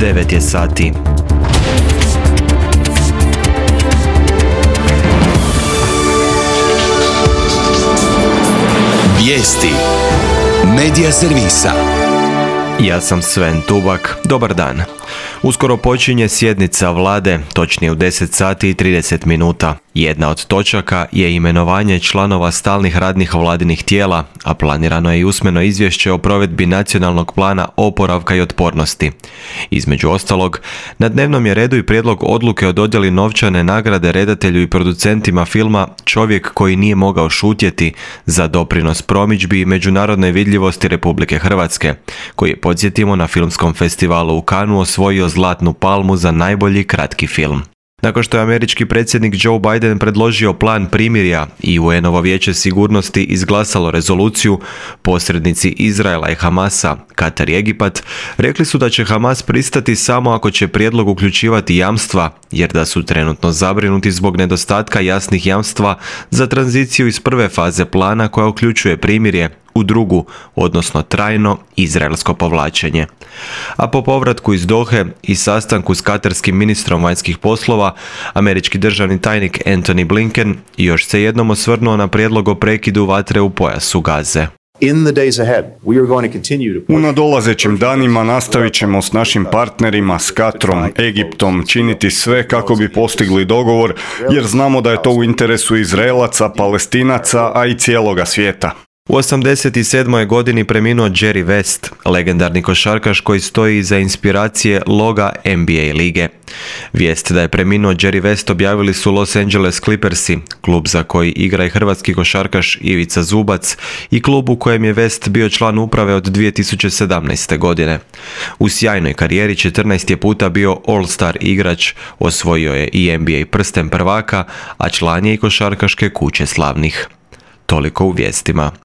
9 je sati. Vijesti Medija servisa. Ja sam Sven Tubak. Dobar dan. Uskoro počinje sjednica vlade, točnije u 10 sati i 30 minuta. Jedna od točaka je imenovanje članova stalnih radnih vladinih tijela, a planirano je i usmeno izvješće o provedbi nacionalnog plana oporavka i otpornosti. Između ostalog, na dnevnom je redu i prijedlog odluke o dodjeli novčane nagrade redatelju i producentima filma Čovjek koji nije mogao šutjeti za doprinos promidžbi i međunarodnoj vidljivosti Republike Hrvatske, koji je, podsjetimo, na filmskom festivalu u Cannesu osvojio Zlatnu palmu za najbolji kratki film. Nakon što je američki predsjednik Joe Biden predložio plan primirja i UN-ovo vijeće sigurnosti izglasalo rezoluciju, posrednici Izraela i Hamasa, Katar i Egipat, rekli su da će Hamas pristati samo ako će prijedlog uključivati jamstva, jer da su trenutno zabrinuti zbog nedostatka jasnih jamstva za tranziciju iz prve faze plana koja uključuje primirje u drugu, odnosno trajno izraelsko povlačenje. A po povratku iz Dohe i sastanku s katarskim ministrom vanjskih poslova, američki državni tajnik Antony Blinken još se jednom osvrnuo na prijedlog o prekidu vatre u pojasu Gaze. U nadolazećim danima nastavit ćemo s našim partnerima, s Katrom, Egiptom, činiti sve kako bi postigli dogovor, jer znamo da je to u interesu Izraelaca, Palestinaca, a i cijeloga svijeta. U 87. godini preminuo Jerry West, legendarni košarkaš koji stoji iza inspiracije loga NBA lige. Vijest da je preminuo Jerry West objavili su Los Angeles Clippersi, klub za koji igra i hrvatski košarkaš Ivica Zubac i klub u kojem je West bio član uprave od 2017. godine. U sjajnoj karijeri 14 je puta bio All-Star igrač, osvojio je i NBA prsten prvaka, a član je i košarkaške kuće slavnih. Toliko u vijestima.